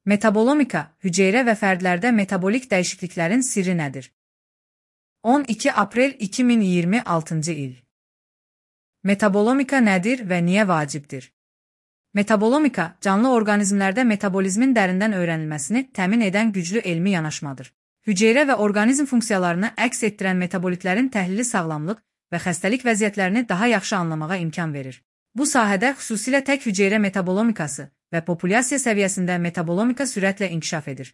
Metabolomika, hüceyrə və fərdlərdə metabolik dəyişikliklərin sirri nədir? 12 aprel 2026 il. Metabolomika nədir və niyə vacibdir? Metabolomika, canlı orqanizmlərdə metabolizmin dərindən öyrənilməsini təmin edən güclü elmi yanaşmadır. Hüceyrə və orqanizm funksiyalarını əks etdirən metabolitlərin təhlili sağlamlıq və xəstəlik vəziyyətlərini daha yaxşı anlamağa imkan verir. Bu sahədə xüsusilə tək hüceyrə metabolomikası və populyasiya səviyyəsində metabolomika sürətlə inkişaf edir.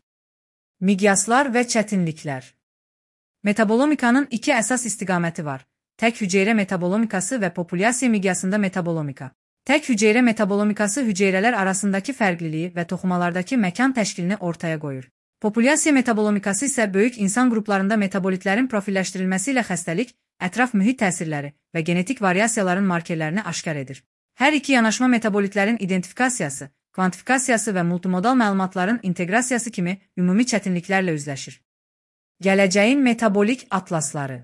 Miqyaslar və çətinliklər. Metabolomikanın iki əsas istiqaməti var: tək hüceyrə metabolomikası və populyasiya miqyasında metabolomika. Tək hüceyrə metabolomikası hüceyrələr arasındakı fərqliliyi və toxumalardakı məkan təşkilini ortaya qoyur. Populyasiya metabolomikası isə böyük insan qruplarında metabolitlərin profilləşdirilməsi ilə xəstəlik, ətraf mühit təsirləri və genetik variasiyaların markerlərini aşkar edir. Hər iki yanaşma metabolitlərin identifikasiyası, kvantifikasiyası və multimodal məlumatların inteqrasiyası kimi ümumi çətinliklərlə üzləşir. Gələcəyin metabolik atlasları.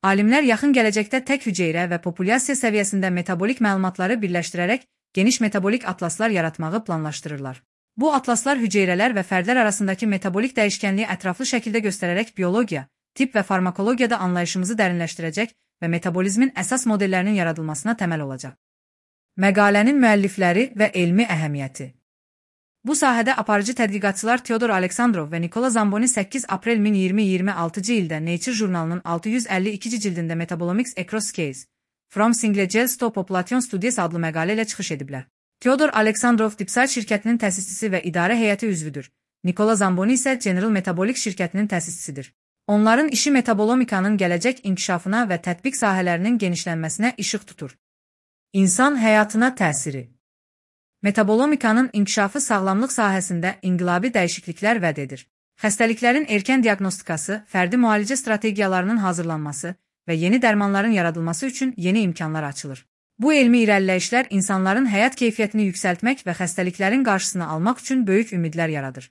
Alimlər yaxın gələcəkdə tək hüceyrə və populyasiya səviyyəsində metabolik məlumatları birləşdirərək geniş metabolik atlaslar yaratmağı planlaşdırırlar. Bu atlaslar hüceyrələr və fərdlər arasındakı metabolik dəyişkənliyi ətraflı şəkildə göstərərək biologiya, tibb və farmakologiyada anlayışımızı dərinləşdirəcək və metabolizmin əsas modellərinin yaradılmasına təməl olacaq. Məqalənin müəllifləri və elmi əhəmiyyəti. Bu sahədə aparıcı tədqiqatçılar Teodor Aleksandrov və Nikola Zamboni 8 aprel 2026 ildə Nature jurnalının 652 cildində Metabolomics Across Scales, From Single Cells to Population Studies adlı məqalə ilə çıxış ediblər. Teodor Aleksandrov Dipside şirkətinin təsisçisi və idarə heyəti üzvüdür. Nikola Zamboni isə General Metabolic şirkətinin təsisçisidir. Onların işi metabolomikanın gələcək inkişafına və tətbiq sahələrinin genişlənməsinə işıq tutur. İnsan həyatına təsiri. Metabolomikanın inkişafı sağlamlıq sahəsində inqilabi dəyişikliklər vəd edir. Xəstəliklərin erkən diaqnostikası, fərdi müalicə strategiyalarının hazırlanması və yeni dərmanların yaradılması üçün yeni imkanlar açılır. Bu elmi irəliləyişlər insanların həyat keyfiyyətini yüksəltmək və xəstəliklərin qarşısını almaq üçün böyük ümidlər yaradır.